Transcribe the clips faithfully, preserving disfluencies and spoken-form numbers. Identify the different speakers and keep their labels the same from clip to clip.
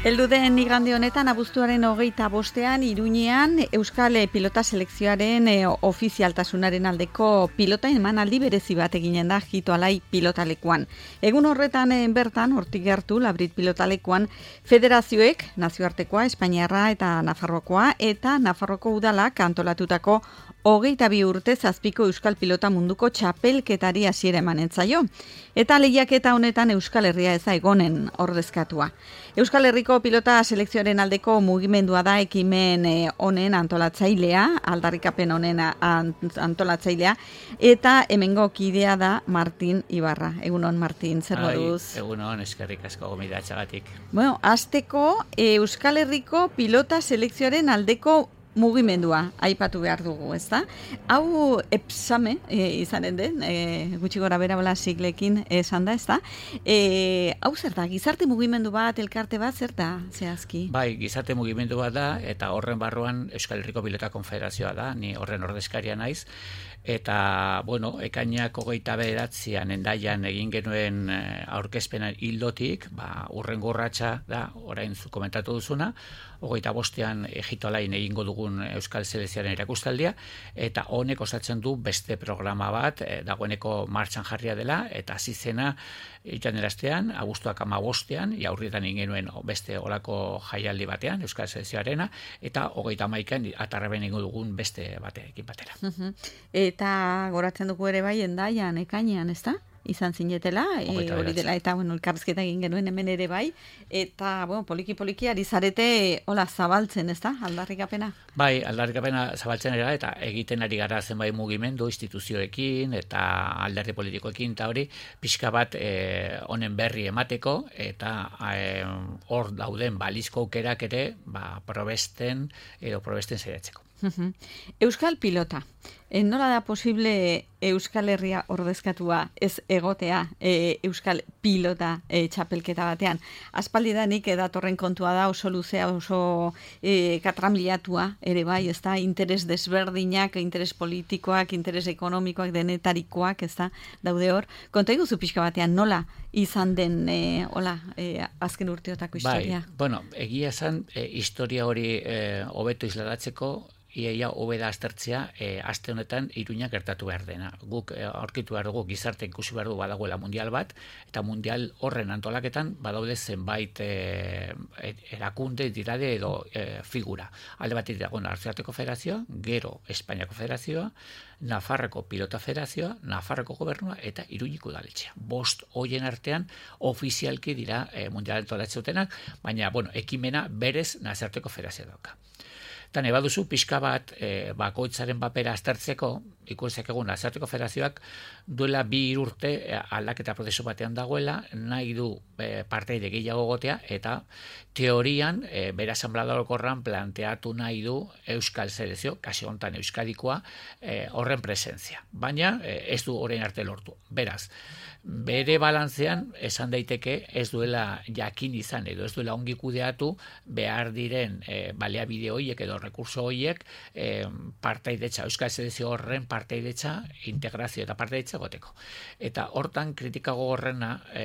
Speaker 1: Heldu den igande honetan abuztuaren hogeita bostean Iruñean Euskal Pilota Selekzioaren e, ofizialtasunaren aldeko pilota emanaldi berezi bat eginen da Jitoalai pilotalekuan. Egun horretan e, bertan hortik gertu Labrit pilotalekuan federazioek nazioartekoa, Espainiarra eta Nafarrokoa eta Nafarroko udalak antolatutako hogeita bi urte zazpiko Euskal Pilota munduko txapelketari hasiera emanen zaio. Eta lehiaketa honetan Euskal Herria ez da egonen ordezkatua. Euskal Herriko Pilota Selekzioaren aldeko mugimendua da ekimen honen antolatzailea, aldarrikapen honen antolatzailea, eta hemengo kidea da Martin Ibarra. Egunon, Martin, zer moduz?
Speaker 2: Egunon, eskerrik asko gomidatxagatik.
Speaker 1: Bueno, hasteko Euskal Herriko Pilota Selekzioaren aldeko mugimendua aipatu behar dugu, ezta? Hau epsame e, izanen den, e, gutxi gora bera bola siglekin esan da, ezta? E, hau zer da, gizarte mugimendu bat, elkarte bat, zer da, zehazki?
Speaker 2: Bai, gizarte mugimendu bat da, eta horren barruan Euskal Herriko Pilota Konfederazioa da, ni horren ordezkaria naiz, eta, bueno, ekainak hogeita bederatzian endaian egin genuen aurkezpena hildotik, ba, urrengo urratsa da, orain zu komentatu duzuna, hogeita bostean Jitoalain egingo dugun Euskal Selekzioaren erakustaldia, eta honek osatzen du beste programa bat, e, dagoeneko martxan jarria dela, eta hasi zena itaneraztean, abuztuak amabostean, jaurrietan ingenuen beste olako jaialdi batean, Euskal Selekzioarena, eta hogeita hamaikan atarraben egingo dugun beste batekin batera.
Speaker 1: Eta goratzen dugu ere bai endaian, ekainean, ez da? Izan zinetela, e, hori dela, eta bueno, elkarrizketa egin genuen hemen ere bai, eta bueno, poliki-poliki ari zarete hola zabaltzen, ez da, aldarrikapena?
Speaker 2: Bai, aldarrikapena zabaltzen era, eta egiten ari gara zenbait mugimendu, instituzioekin, eta alderdi politikoekin, eta hori, pixka bat honen berri emateko, eta hor e, dauden balizko aukerak ere, ba, probesten, edo probesten zaiatzeko.
Speaker 1: Euskal Pilota. E, nola da posible Euskal Herria ordezkatua ez egotea e, Euskal Pilota e, txapelketa batean? Aspaldidanik datorren kontua da oso luzea, oso e, katramiliatua ere bai, ez da, interes desberdinak, interes politikoak, interes ekonomikoak, denetarikoak, ez da, daude hor. Konta iguzu pixka batean, nola izan den e, hola, e, azken urteotako historia?
Speaker 2: Bai, bueno, egia esan, e, historia hori hobeto e, isladatzeko, iaia hobeda aztertzea e, aste honetan Iruña gertatu behar dena. Guk e, aurkitu behar dugu, gizarte ikusi behar du badagoela mundial bat, eta mundial horren antolaketan badaude zenbait e, erakunde, dirade edo e, figura. Alde batik dago Nazioarteko Federazioa, gero Espainiako Federazioa, Nafarroko Pilota Federazioa, Nafarroko Gobernua eta Iruñiko udaletxea. Bost hoien artean ofizialki dira e, mundial antolatzeotenak, baina bueno, ekimena berez Nazioarteko Federazioa dauka. Eta nahi baduzu pixka bat e, bakoitzaren papera aztertzeko, ikusek egun Nazioarteko Federazioak duela bi urte e, aldaketa prozesu batean dagoela, nahi du e, parteide gehiago gotea, eta teorian e, bere asanbladokorran planteatu nahi du Euskal Selekzio, kasu honetan Euskadikoa, e, horren presentzia. Baina e, ez du orain arte lortu. Beraz, bere balantzean esan daiteke ez duela jakin izan edo ez duela ongi kudeatu behar diren e, baliabide horiek edo rekurso horiek e, partaidetza, Euskal Selekzio horren partaidetza, integrazio eta partaidetza goteko. Eta hortan kritika gogorrena e,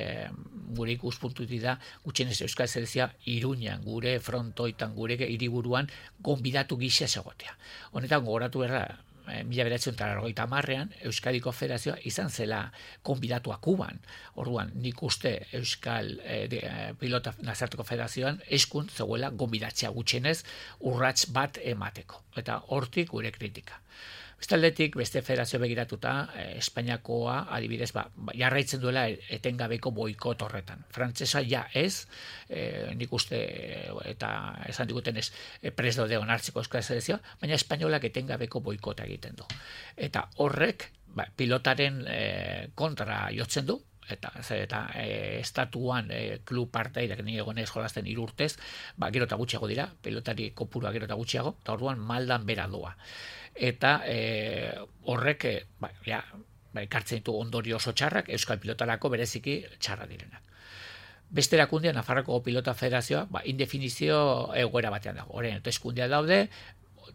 Speaker 2: gure ikuspuntutik da gutxienez Euskal Selekzioa Iruñan, gure frontoitan, gure hiriburuan gonbidatu gisa egotea. Honetan gogoratu berra, mila bederatziehun eta laurogeita hamarrean Euskadiko Federazioa izan zela konbidatua Kuban. Orduan, nik uste Euskal eh, de, Pilota Nazioarteko Federazioan eskun zegoela gonbidatzea gutxienez urrats bat emateko. Eta hortik gure kritika. Bestaldetik, beste federazio begiratuta, eh, Espainiakoa, adibidez, ba, jarraitzen duela etengabeko boikot horretan. Frantsesa ja ez, eh, nik uste, eta esan diguten ez, eh, pres daude onartzeko Euskal Selekzioa, baina espainolak etengabeko boikota egiten du. Eta horrek, ba, pilotaren eh, kontra jotzen du, eta eta e, estatuan e, klub partaideak ni egonez jolasten hiru urtez, ba gero eta gutxiago dira, pelotari kopurua gero eta gutxiago, eta orduan maldan bera doa. Eta e, horrek e, ba, ja, ba, ekartzen ditu ondorio oso txarrak, Euskal Pilotarako bereziki txarra direnak. Beste erakundea, Nafarroko Pilota Federazioa, ba, indefinizio egoera batean dago. Horren, eta eskundia daude,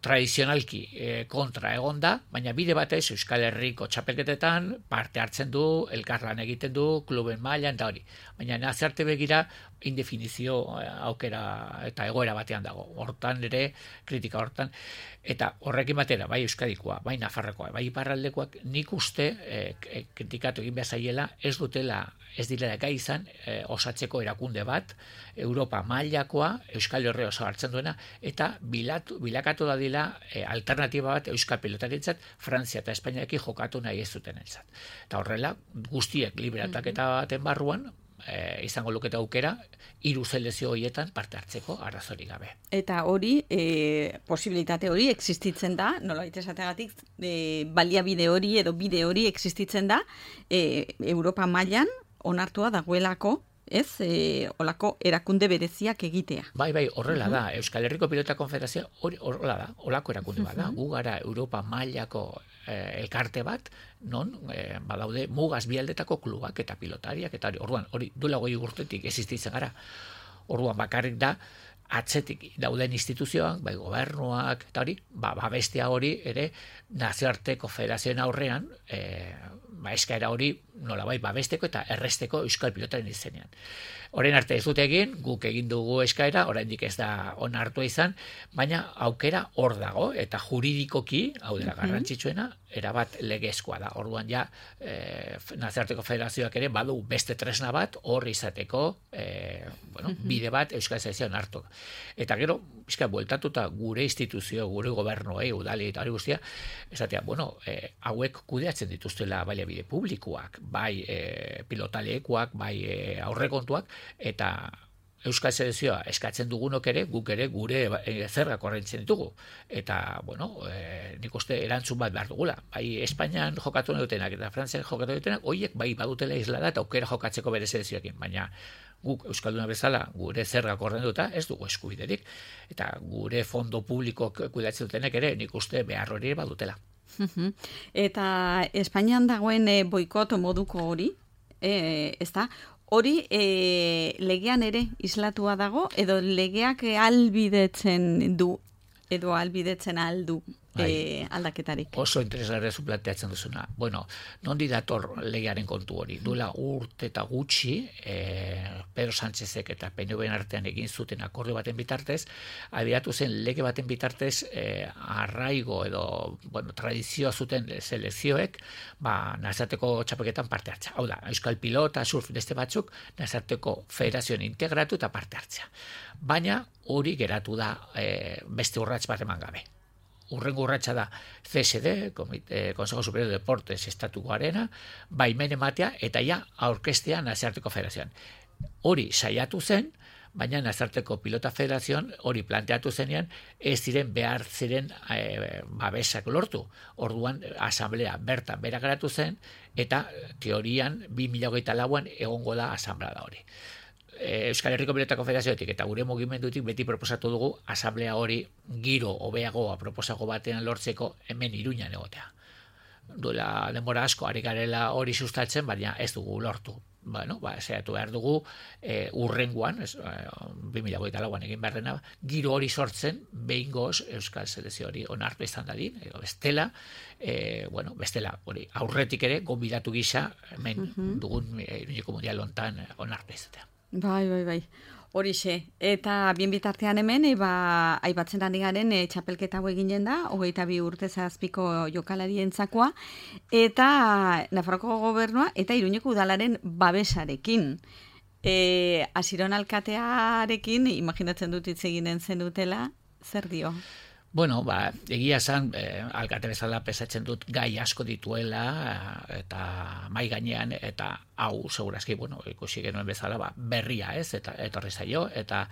Speaker 2: tradizionalki e, kontra egonda, baina bide batez Euskal Herriko txapelketetan parte hartzen du, elkarlan egiten du, kluben mailan eta hori. Baina nazarte begira indefinizio aukera eta egoera batean dago. Hortan ere, kritika hortan, eta horrekin batera, bai Euskadikoa, bai Nafarrokoa, bai Iparraldekoak, nik uste e, kritikatu egin behar zaiela, ez dutela, ez direla gai izan e, osatzeko erakunde bat, Europa mailakoa, Euskal Herria oso hartzen duena, eta bilatu, bilakatu da dila e, alternatiba bat Euskal pilotarentzat, Frantzia eta Espainiarekin jokatu nahi ez dutenentzat. Eta horrela, guztiek liberataketa baten barruan, e, izango luketa aukera, hiru selekzio horietan parte hartzeko arrazorik gabe.
Speaker 1: Eta hori, e, posibilitate hori existitzen da, nolabait esateagatik, e, baliabide hori edo bide hori existitzen da, e, Europa mailan onartua dagoelako, ez, e, olako erakunde bereziak egitea.
Speaker 2: Bai, bai, horrela da. Euskal Herriko Pilota Konfederazioa hori horrela da, olako erakunde bat da. Gu gara Europa mailako eh, elkarte bat, non eh, badaude mugaz bialdetako klubak eta pilotariak, eta hori, orduan, hori duela goi urtetik existitzen gara. Orduan bakarrik da, atzetik dauden instituzioak, bai gobernuak, eta hori, ba, babestea hori ere nazioarteko federazioen aurrean, eh, ba, eskaera hori nola bai babesteko eta erresteko Euskal pilotaren izenean. Orain arte ez dute egin, guk egin dugu eskaera, oraindik ez da onartua izan, baina aukera hor dago, eta juridikoki, hau dela garrantzitsuena, erabat legezkoa da. Orduan ja, e, nazioarteko federazioak ere badu beste tresna bat hor izateko e, bueno, bide bat Euskal Selekzioan hartu. Eta gero, bizka, bueltatuta gure instituzio, gure gobernuei, udali eta hori guztia, esatea, bueno, e, hauek kudeatzen dituztela baliabide publikoak, bai e, pilotalekoak, bai e, aurrekontuak, eta Euskal Selekzioa eskatzen dugunok ere, guk ere gure e, zergak ordaintzen ditugu. Eta, bueno, e, nik uste erantzun bat behar dugula. Bai Espainian jokatu dutenak eta Frantzian jokatu dutenak, horiek bai badutela islada eta aukera jokatzeko bere selekzioekin, baina guk Euskalduna bezala gure zergak ordainduta ez dugu eskubiderik. Eta gure fondo publikok kudeatzen dutenek ere nik uste behar hori badutela.
Speaker 1: Eta Espainian dagoen e, boikot moduko hori, e, ez da, hori e, legean ere islatua dago, edo legeak albidetzen du, edo albidetzen aldu e, aldaketarik.
Speaker 2: Oso interesgarria zu planteatzen duzuna. Bueno, nondi dator legearen kontu hori? Duela urte eta gutxi, e, Pedro Sánchezek eta P N V-en artean egin zuten akordio baten bitartez, abiatu zen lege baten bitartez e, arraigo edo bueno, tradizioa zuten selekzioek ba, nazarteko txapeketan parte hartzea. Hau da, Euskal Pilota, surf beste batzuk, nazarteko federazioan integratu eta parte hartzea. Baina hori geratu da e, beste urrats bat eman gabe. Urrengo urratsa da C S D, Komite, Consejo Superior de Deportes Estatukoarena, baimen ematea eta ja aurkeztea nazarteko federazioan. Hori saiatu zen, baina nazarteko pilota federazioan hori planteatu zenean ez ziren behar ziren e, babesak lortu. Orduan asamblea bertan bera geratu zen eta teorian bi mila hogeita lauan egongo da asamblea da hori. Euskal Herriko Pilota Konfederazioetik eta gure mugimendutik beti proposatu dugu asamblea hori giro hobeagoa proposago batean lortzeko hemen Iruñan egotea. Duela denbora asko ari garela hori sustatzen, baina ez dugu lortu. Bueno, ba, saiatu behar dugu e, urrengoan, ez, e, bi mila hogeita lauan egin behar dena, giro hori sortzen, behingoz Euskal Selekzio hori onartu izan dadin, edo bestela, e, bueno, bestela, hori aurretik ere, gonbidatu gisa, hemen uh-huh. dugun Iruñeko Mundial hontan onartu izatea.
Speaker 1: Bai, bai, bai. Horixe. Eta bien bitartean hemen, eba, aipatzen ari garen e, txapelketa hau eginen da, hogeita bi urte zazpiko jokalarientzakoa, eta Nafarroko gobernua eta Iruñeko udalaren babesarekin. E, Asiron alkatearekin, imaginatzen dut hitz eginen zenutela, zer dio?
Speaker 2: Bueno, ba, egia esan, eh, alkate bezala pesatzen dut gai asko dituela eta mai gainean eta hau segurazki, bueno, ikusi genuen bezala, ba, berria ez, eta etorri zaio, eta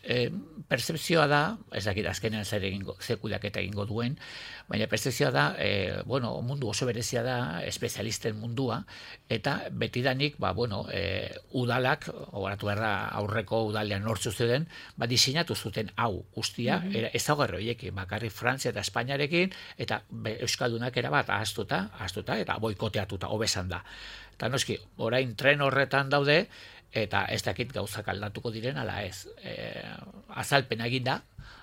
Speaker 2: e, percepzioa da, ez dakit azkenean zer egingo, zekudak eta egingo duen, baina percepzioa da, e, bueno, mundu oso berezia da, espezialisten mundua, eta betidanik, ba, bueno, e, udalak, horatu berda aurreko udalean nortzu zeuden, ba, diseinatu zuten hau guztia, mm-hmm. ez dago erroiekin, bakarrik Frantzia eta Espainiarekin, eta be, Euskaldunak erabat ahaztuta, ahaztuta, eta boikoteatuta, hobesan da. Eta noski, orain tren horretan daude, eta ez dakit gauzak aldatuko diren, ala ez. E, azalpena egin da,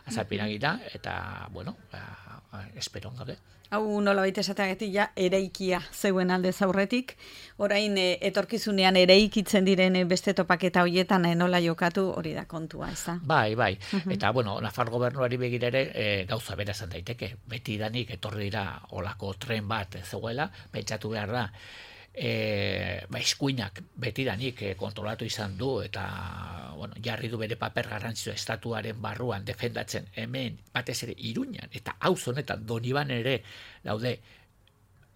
Speaker 2: azalpenak dira, eta, bueno, ba, esperon gabe.
Speaker 1: Hau nola baita esateagatik ja eraikia zeuen alde zaurretik, orain e, etorkizunean eraikitzen diren e, beste topaketa horietan e, nola jokatu hori da kontua, ez da?
Speaker 2: Bai, bai, uh-huh. Eta, bueno, Nafar gobernuari begira ere e, gauza bera esan daiteke, beti danik etorri dira olako tren bat zegoela, pentsatu behar da, E, ba, eskuinak betidanik e, kontrolatu izan du eta bueno, jarri du bere paper garrantzitsua estatuaren barruan defendatzen hemen batez ere Iruñan eta auz honetan Doniban ere daude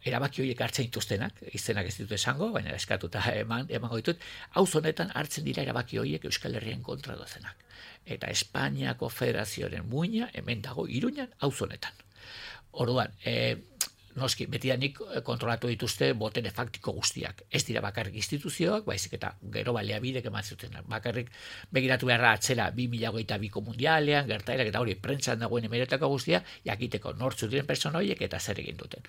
Speaker 2: erabaki horiek hartzen dituztenak, izenak ez ditut esango, baina eskatuta eman, emango ditut, auz honetan hartzen dira erabaki horiek Euskal Herrien kontra dozenak. Eta Espainiako Federazioaren muina hemen dago Iruñan auz honetan. Orduan, e, noski, betidanik kontrolatu dituzte botere faktiko guztiak. Ez dira bakarrik instituzioak, baizik eta gero baliabidek eman zuten. Bakarrik begiratu beharra atzera bi mila hogeita biko mundialean, gertaerak eta hori prentsan dagoen emeretako guztia, jakiteko nortzu diren persona horiek eta zer egin duten.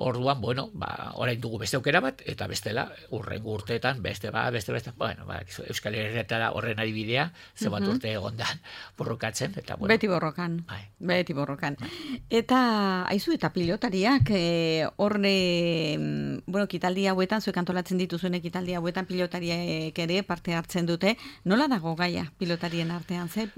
Speaker 2: Orduan, bueno, ba, orain dugu beste aukera bat, eta bestela, urrengo urteetan, beste ba, beste beste, bueno, ba, Euskal Herrietara horren adibidea, ze bat uh-huh. urte egondan borrokatzen, eta bueno.
Speaker 1: Beti borrokan, bai. Beti borrokan. Bai. Eta, aizu, eta pilotariak, e, horre, bueno, kitaldi hauetan, zuek antolatzen dituzuen kitaldi hauetan pilotariak ere parte hartzen dute, nola dago gaia pilotarien artean, ze?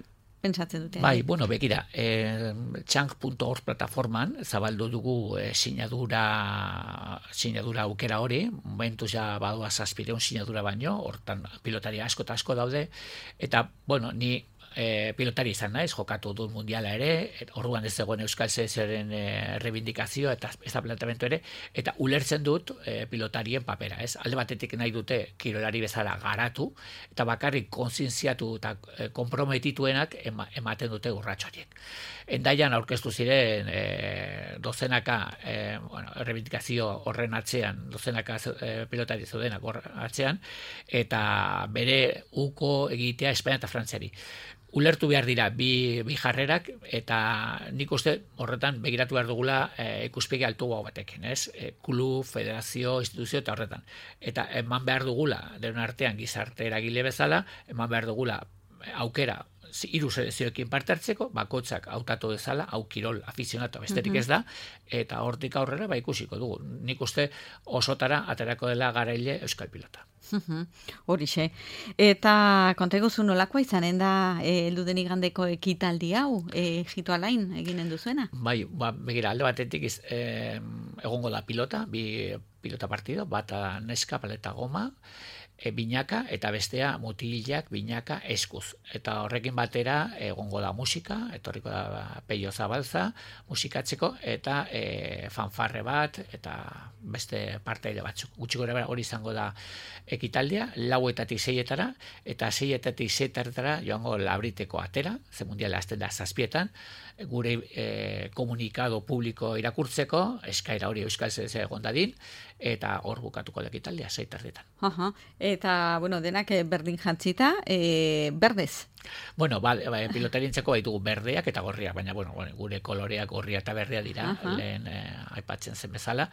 Speaker 1: Pentsatzen dute.
Speaker 2: Bai, bueno, begira, eh, txank puntu org plataforman zabaldu dugu eh, sinadura, sinadura aukera hori, momentuz ja badua zazpireun sinadura baino, hortan pilotari asko eta asko daude, eta, bueno, ni E, pilotari izan naiz, jokatu dut mundiala ere, orduan ez zegoen Euskal Selekzioaren e, rebindikazio eta ez da planteamendu ere, eta ulertzen dut e, pilotarien papera, ez? Alde batetik nahi dute kirolari bezala garatu, eta bakarrik kontzientziatu eta e, komprometituenak ema, ematen dute urrats horiek. Endaian aurkeztu ziren e, dozenaka e, bueno, rebindikazio horren atzean, dozenaka e, pilotari zeudenak horren atzean, eta bere uko egitea Espainia eta Frantziari. Ulertu behar dira bi, bi jarrerak, eta nik uste horretan begiratu behar dugula e, ikuspegi altuago batekin, ez? E, klub, federazio, instituzio eta horretan. Eta eman behar dugula, denon artean gizarte eragile bezala, eman behar dugula aukera hiru selekzioekin parte hartzeko, bakoitzak hautatu dezala, hau kirol afizionatu besterik ez da, eta hortik aurrera ba ikusiko dugu. Nik uste osotara aterako dela garaile euskal pilota.
Speaker 1: Horixe. Eta konteguzu nolakoa izanen da heldu den igandeko ekitaldi hau, e, Jito Alain eginen duzuena?
Speaker 2: Bai, ba, begira, alde batetik iz, e, egongo da pilota, bi pilota partido, bata neska, paleta goma, E, binaka eta bestea mutilak binaka eskuz. Eta horrekin batera egongo da musika, etorriko da Peio Zabalza musikatzeko eta e, fanfarre bat eta beste parteide batzuk. Gutxi gorabehera hori izango da ekitaldia, lauetatik seietara eta seietatik seietara joango labriteko atera, ze mundiala hasten da zazpietan, gure e, komunikado publiko irakurtzeko, eskaera hori Euskal Selekzioa egon dadin, eta hor bukatuko da ekitaldia seitardetan.
Speaker 1: Aha. Eta, bueno, denak berdin jantzita, e, berdez.
Speaker 2: Bueno, vale, ba, pilotarientzako baitugu berdeak eta gorriak, baina bueno, gure koloreak gorria eta berria dira, uh-huh. lehen eh, aipatzen zen bezala,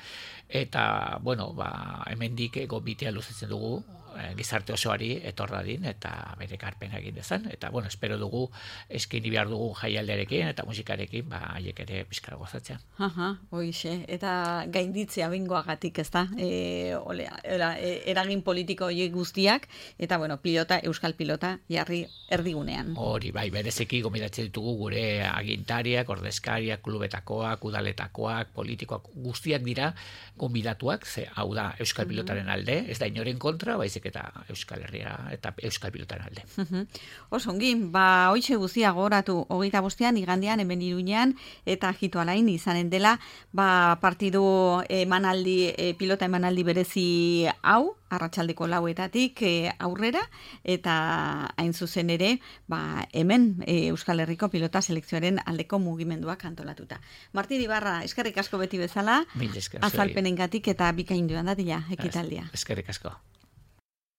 Speaker 2: eta bueno, ba, hemendik gonbitea luzatzen dugu eh, gizarte osoari etordadin eta bere karpena egin dezan, eta bueno, espero dugu eskaini behar dugu jaialdearekin eta musikarekin, ba, haiek ere pizkara gozatzea.
Speaker 1: Aha, hoixe, eta gainditzea bingoagatik, ez da, e, ole, era, eragin politiko horiek guztiak, eta bueno, pilota, euskal pilota, jarri erdi
Speaker 2: Hori, bai, berezeki gomendatzen ditugu gure agintariak, ordezkariak, klubetakoak, udaletakoak, politikoak, guztiak dira gonbidatuak, ze hau da euskal pilotaren alde, ez da inoren kontra, baizik eta Euskal Herria eta euskal pilotaren alde.
Speaker 1: Oso ongi, ba, hoixe guztia gogoratu hogeita bostean, igandean, hemen Iruñean, eta Jito Alain izanen dela, ba, partidu emanaldi, e, pilota emanaldi berezi hau, arratsaldeko lauetatik e, aurrera, eta hain zuzen ere, ba, hemen e, Euskal Herriko pilota selekzioaren aldeko mugimenduak antolatuta. Martin Ibarra, eskerrik asko beti bezala, azalpenengatik eta bikainduan dadila ekitaldia.
Speaker 2: Eskerrik asko.